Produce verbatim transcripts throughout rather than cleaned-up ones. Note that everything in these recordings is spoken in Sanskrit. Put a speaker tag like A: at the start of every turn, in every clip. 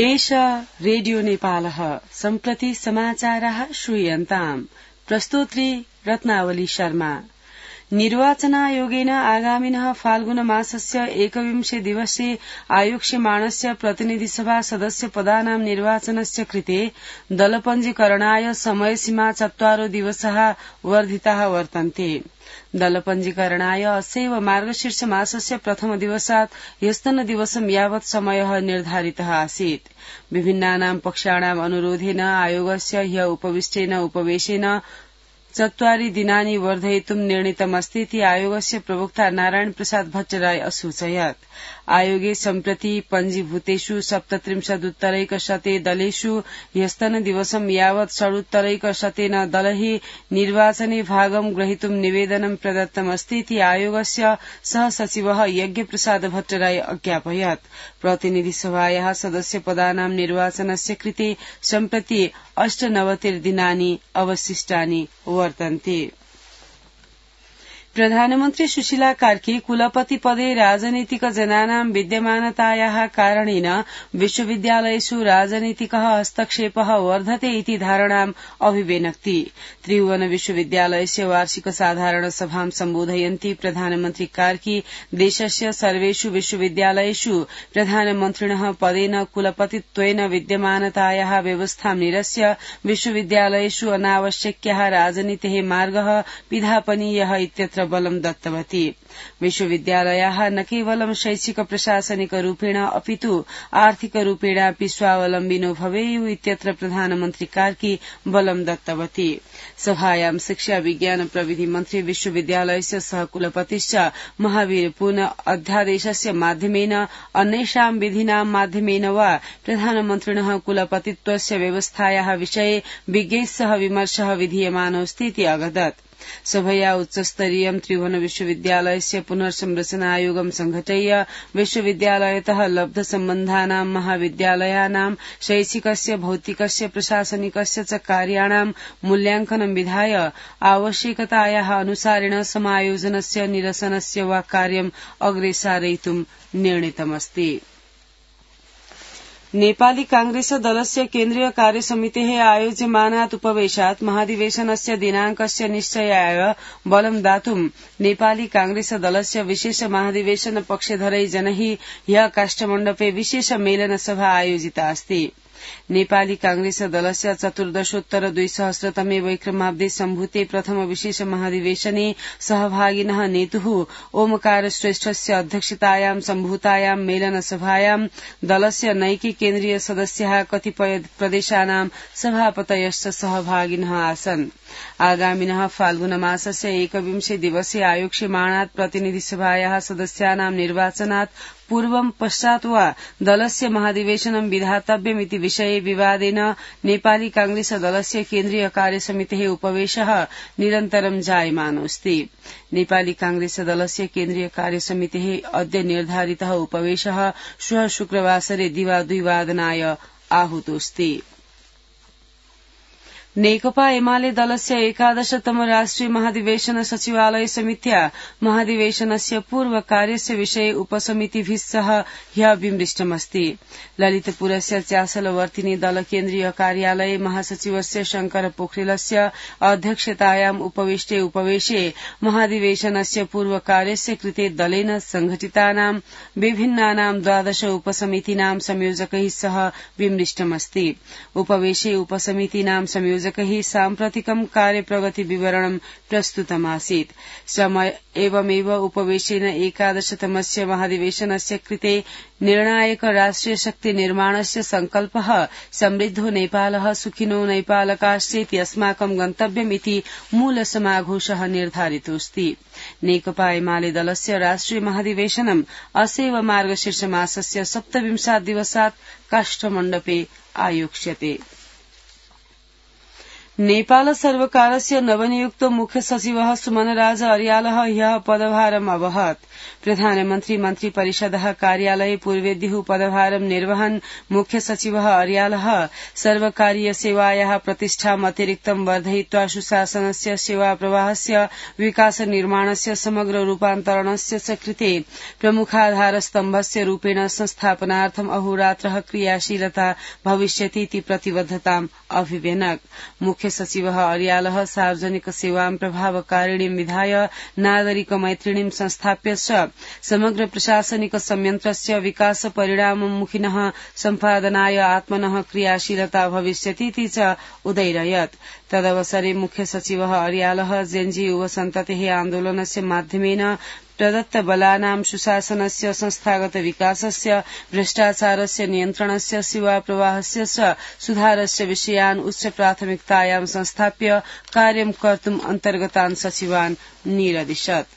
A: एष रेडियो नेपालः सम्प्रति समाचाराः श्रूयन्ताम्। प्रस्तोत्री रत्नावली शर्मा। निर्वाचनायोगेन आगामिनः फाल्गुन मासस्य एकविंशे दिवसे आयोक्ष्यमाणस्य प्रतिनिधिसभा सदस्य पदानां निर्वाचनस्य कृते दलपञ्जीकरणाय समयसीमा चत्वारो दिवसाः वर्धिताः वर्तन्ते। दलपञ्जीकरणाय अस्यैव मार्गशीर्ष मासस्य प्रथम दिवसात् ह्यस्तनदिवसं यावत् समयः निर्धारितः आसीत्। विभिन्नानां पक्षाणाम् अनुरोधेन आयोगस्य ह्य उपविष्टेन उपवेशेन चत्वारि दिनानि वर्धयितुं निर्णीतमस्ति इति आयोगस्य प्रवक्ता नारायण प्रसाद भट्टराय असूचयत्। आयोगे सम्प्रति पञ्जीभूतेषु सप्तत्रिंशदुत्तरैकशते दलेषु ह्यस्तनदिवसं यावत् षडुत्तरैकशतेन दलैः निर्वाचने भागं ग्रहीतुं निवेदनं प्रदत्तमस्ति इति आयोगस्य सहसचिवः यज्ञप्रसाद भट्टराय अज्ञापयत्। प्रतिनिधिसभायाः सदस्यपदानां निर्वाचनस्य कृते सम्प्रति अष्टनवतिर्दिनानि अवशिष्टानि वर्तन्ते। प्रधानमन्त्री सुशीला कार्की कुलपति पदे राजनीतिक जनानां विद्यमानतायाः कारणेन विश्वविद्यालयेषु राजनीतिकः हस्तक्षेपः वर्धते इति धारणाम् अभिव्यनक्ति। त्रिभुवन विश्वविद्यालयस्य वार्षिक साधारण सभां सम्बोधयन्ती प्रधानमन्त्री कार्की देशस्य सर्वेषु विश्वविद्यालयेषु प्रधानमन्त्रिणः पदेन कुलपतित्वेन विद्यमानतायाः व्यवस्थां निरस्य विश्वविद्यालयेषु अनावश्यक्याः राजनीतेः मार्गः पिधापनीयः इत्यत्र बलं दत्तवती। विश्वविद्यालयाः न केवलं शैक्षिक प्रशासनिक रूपेण अपितु आर्थिक रूपेणापि स्वावलम्बिनो भवेयुः इत्यत्र प्रधानमन्त्री कार्की बलं दत्तवती। सभायां शिक्षा विज्ञान प्रविधि मन्त्री विश्वविद्यालयस्य सहकुलपतिश्च महावीर पुन अध्यादेशस्य माध्यमेन अन्येषां विधीनां माध्यमेन वा प्रधानमन्त्रिणः कुलपतित्वस्य व्यवस्थायाः विषये विज्ञैः सह विमर्शः विधीयमानोऽस्ति इति अगदत्। सभया उच्चस्तरीयं त्रिभुवन विश्वविद्यालयस्य पुनर्संरचनायोगं संघटय्य विश्वविद्यालयतः लब्धसम्बन्धानां महाविद्यालयानां शैक्षिकस्य भौतिकस्य प्रशासनिकस्य च कार्याणां मूल्यांकनं विधाय आवश्यकतायाः अनुसारेण समायोजनस्य निरसनस्य वा कार्यम् अग्रे सारयितुं निर्णीतमस्ति। नेपाली कांग्रेस दलस्य केन्द्रीय कार्यसमितेः आयोज्यमानात् उपवेशात् महाधिवेशनस्य दिनांकस्य निश्चयाय बलं दातुं नेपाली कांग्रेस दलस्य विशेष महाधिवेशन पक्षधरै जनैः ह्यः काष्ठमण्डपे विशेष मेलन सभा आयोजिता अस्ति। नेपाली कांग्रेस दलस्य चतुर्दशोत्तर द्विसहस्रतमे वैक्रमाब्दे सम्भूते प्रथम विशेष महाधिवेशने सहभागिनः नेतुः ओमकार श्रेष्ठस्य अध्यक्षतायां सम्भूतायां मेलन सभायां दलस्य नैके केन्द्रीय सदस्याः कतिपय प्रदेशानां सभापतयश्च सहभागिनः आसन्। आगामिनः फाल्गुन मासस्य एकविंशे दिवसे आयोक्ष्यमाणात् प्रतिनिधिसभायाः सदस्यानां निर्वाचनात् पूर्वं पश्चात् वा दलस्य महाधिवेशनं विधातव्यमिति विषये विवादेन नेपाली कांग्रेस दलस्य केन्द्रीय कार्यसमितेः उपवेशः निरन्तरं जायमानोऽस्ति। नेपाली कांग्रेस दलस्य केन्द्रीय कार्यसमितेः अद्य निर्धारितः उपवेशः श्वः शुक्रवासरे दिवाद्विवादनाय आहूतोऽस्ति। नेकपा एमाले दलस्य एकादशतम राष्ट्रिय महाधिवेशन सचिवालय समित्या महाधिवेशनस्य पूर्व कार्यस्य विषये उपसमितिभिः सह ह्यः विमृष्टमस्ति। ललितपुरस्य च्यासलवर्तिनी दल केन्द्रीय कार्यालये महासचिवस्य शंकर पोखरेलस्य अध्यक्षतायाम् उपविष्टे उपवेशे महाधिवेशनस्य पूर्व कार्यस्य कृते दलेन संघटितानां विभिन्नानां द्वादश उपसमितीनां संयोजकैः सह विमृष्टमस्ति। उपवेशे उपसमितीनां संयोजकैः साम्प्रतिकं कार्यप्रगति विवरणं प्रस्तुतमासीत्। समय एवमेव उपवेशेन एकादशतमस्य महाधिवेशनस्य कृते निर्णायक राष्ट्रिय शक्ति निर्माणस्य संकल्पः समृद्धो नेपालः सुखिनो नैपालकाश्चेति अस्माकं गन्तव्यमिति मूल समाघोषः निर्धारितोऽस्ति। नेकपा एमाले दलस्य राष्ट्रिय महाधिवेशनम् असैव मार्गशीर्ष मासस्य सप्तविंशात् दिवसात् काष्ठमण्डपे आयोक्ष्यते। नेपाल सर्वकारस्य नवनियुक्त मुख्य सचिवः सुमनराज अर्यालः ह्यः पदभारम् अवहत्। प्रधानमन्त्री मन्त्री परिषदः कार्यालये पूर्वेद्युः पदभारं निर्वहन् मुख्य सचिवः अर्यालः सर्वकारीय सेवायाः प्रतिष्ठाम् अतिरिक्तं वर्धयित्वा सुशासनस्य सेवा प्रवाहस्य विकास निर्माणस्य समग्र रूपान्तरणस्य च कृते प्रमुखाधारस्तम्भस्य रूपेण संस्थापनार्थम् अहोरात्रः क्रियाशीलता भविष्यतीति प्रतिबद्धताम् अभिव्यनक्। मुख्य सचिवः अर्यालः सार्वजनिक सेवां प्रभावकारिणीं विधाय नागरिक मैत्रिणीं संस्थाप्य च समग्र प्रशासनिक संयन्त्रस्य विकास परिणाममुखिनः सम्पादनाय आत्मनः क्रियाशीलता भविष्यतीति च उदैरयत्। तदवसरे मुख्य सचिवः अर्यालः जेन्जी युवसन्ततेः आन्दोलनस्य माध्यमेन प्रदत्त बलानां सुशासनस्य संस्थागत विकासस्य भ्रष्टाचारस्य नियन्त्रणस्य सेवा प्रवाहस्य च सुधारस्य विषयान् उच्च प्राथमिकतायां संस्थाप्य कार्यं कर्तुम् अन्तर्गतान् सचिवान् निरदिशत्।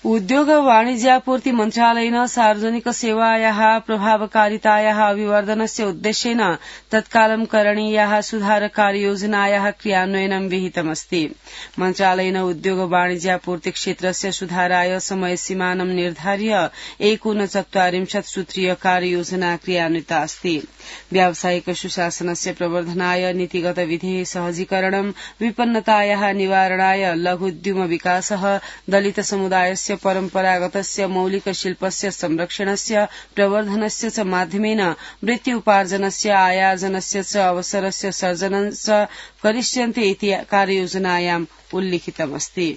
A: उद्योग वाणिज्यापूर्ति मन्त्रालयेन सार्वजनिक सेवायाः प्रभावकारितायाः अभिवर्धनस्य उद्देश्येन तत्कालं करणीयाः सुधार कार्ययोजनायाः क्रियान्वयनं विहितमस्ति। मन्त्रालयेन उद्योग वाणिज्यापूर्ति क्षेत्रस्य सुधाराय समयसीमानं निर्धार्य एकोनचत्वारिंशत् सूत्रीय कार्ययोजना क्रियान्विता अस्ति। व्यावसायिक सुशासनस्य प्रवर्धनाय नीतिगत विधेः सहजीकरणं, विपन्नतायाः निवारणाय लघुद्यम विकासः, दलित समुदायस्य परम्परागतस्य मौलिक शिल्पस्य संरक्षणस्य प्रवर्धनस्य च माध्यमेन वृत्ति उपार्जनस्य, आयार्जनस्य च अवसरस्य सर्जनं च करिष्यन्ते इति कार्ययोजनायाम् उल्लिखितमस्ति।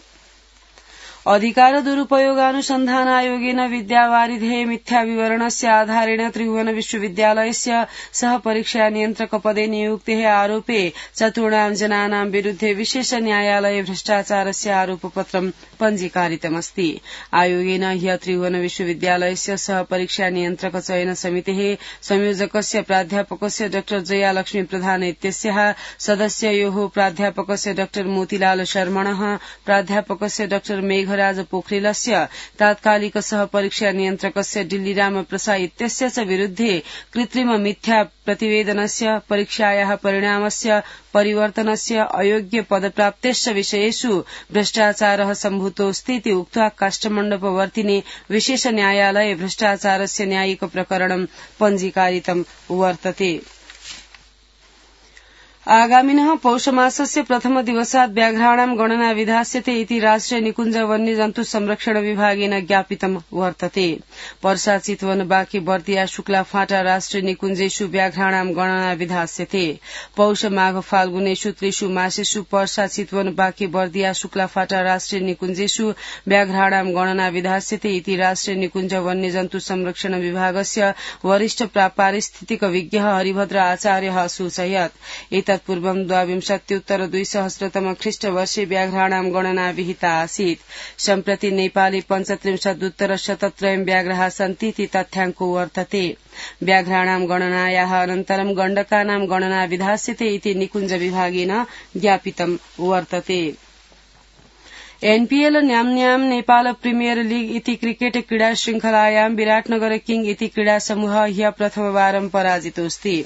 A: अधिकार दुरुपयोगानुसन्धान आयोगेन विद्यावारिधेः मिथ्या विवरणस्य आधारेण त्रिभुवन विश्वविद्यालयस्य सह परीक्षा नियन्त्रक पदे नियुक्तेः आरोपे चतुर्णां जनानां विरुद्धे विशेष न्यायालये भ्रष्टाचारस्य आरोपपत्रं पञ्जीकारितमस्ति। आयोगेन ह्यः त्रिभुवन विश्वविद्यालयस्य सह परीक्षा नियन्त्रक चयन समितेः संयोजकस्य प्राध्यापकस्य डॉ जयालक्ष्मी प्रधान इत्यस्याः सदस्ययोः प्राध्यापकस्य डॉ मोतीलाल शर्मणः, प्राध्यापकस्य डॉ मेघ राज पोखरेलस्य, तात्कालिक सह परीक्षा नियन्त्रकस्य डिल्लीराम प्रसाद इत्यस्य च विरुद्धे कृत्रिम मिथ्या प्रतिवेदनस्य, परीक्षायाः परिणामस्य परिवर्तनस्य, अयोग्य पदप्राप्तेश्च विषयेषु भ्रष्टाचारः सम्भूतोऽस्तीति उक्त्वा काष्ठमण्डपवर्तिने विशेष न्यायालये भ्रष्टाचारस्य न्यायिक प्रकरणं पञ्जीकारितं वर्तते। आगामिनः पौषमासस्य प्रथम दिवसात् व्याघ्राणां गणना विधास्यते इति राष्ट्रिय निकुञ्ज वन्यजन्तु संरक्षण विभागेन ज्ञापितं वर्तते। पर्सा, चितवन, बाँकी, बर्दिया, शुक्लाफाँटा राष्ट्रिय निकुञ्जेषु व्याघ्राणां गणना विधास्यते। पौष, माघ, फाल्गुनेषु त्रिषु मासेषु पर्सा, चितवन, बाँकी, बर्दिया, शुक्लाफाँटा राष्ट्रिय निकुञ्जेषु व्याघ्राणां गणना विधास्यते इति राष्ट्रिय निकुञ्ज वन्यजन्तु संरक्षण विभागस्य वरिष्ठ पारिस्थितिक विज्ञ हरिभद्र आचार्यः सूचयत्। पूर्वं द्वाविंशत्युत्तर द्विसहस्रतम ख्रीष्टवर्षे व्याघ्राणां गणना विहिता आसीत्। सम्प्रति नेपाले पञ्चत्रिंशदुत्तर शतत्रयं व्याघ्राः सन्तीति तथ्याङ्को वर्तते। व्याघ्राणां गणनायाः अनन्तरं गण्डकानां गणना विधास्यते इति निकुञ्ज विभागेन ज्ञापितं वर्तते। एनपीएल नाम्न्यां नेपाल प्रीमियर लीग इति क्रिकेट क्रीडा श्रृंखलायां विराटनगर किंग इति क्रीडा समूहः ह्यः प्रथमवारं पराजितोऽस्ति।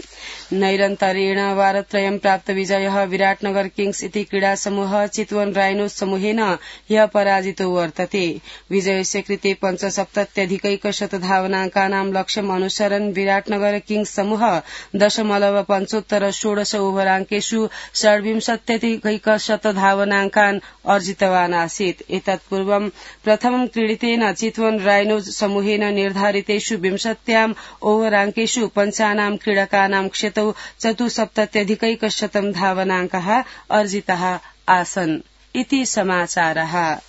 A: नैरन्तर्येण वारत्रयं प्राप्त विजयः विराटनगर किंग्स इति क्रीडा समूहः चितवन राइनोज समूहेन ह्यः पराजितो वर्तते। विजयस्य कृते पञ्चसप्तत्यधिकैकशत धावनाङ्कानां लक्ष्यम् अनुसरन् विराटनगर किंग्स समूहः दशमलव पञ्चोत्तर षोडश ओभराङ्केषु षड्विंशत्यधिकैकशत धावनाङ्कान् अर्जितवान् आसीत्। एतत् पूर्वं प्रथमं क्रीडितेन चितवन राइनोज समूहेन निर्धारितेषु विंशत्याम् ओभराङ्केषु पञ्चानां क्रीडकानां क्षतौ चतुस्सप्तत्यधिकैकशतं धावनाङ्काः अर्जिताः आसन्। इति समाचारः।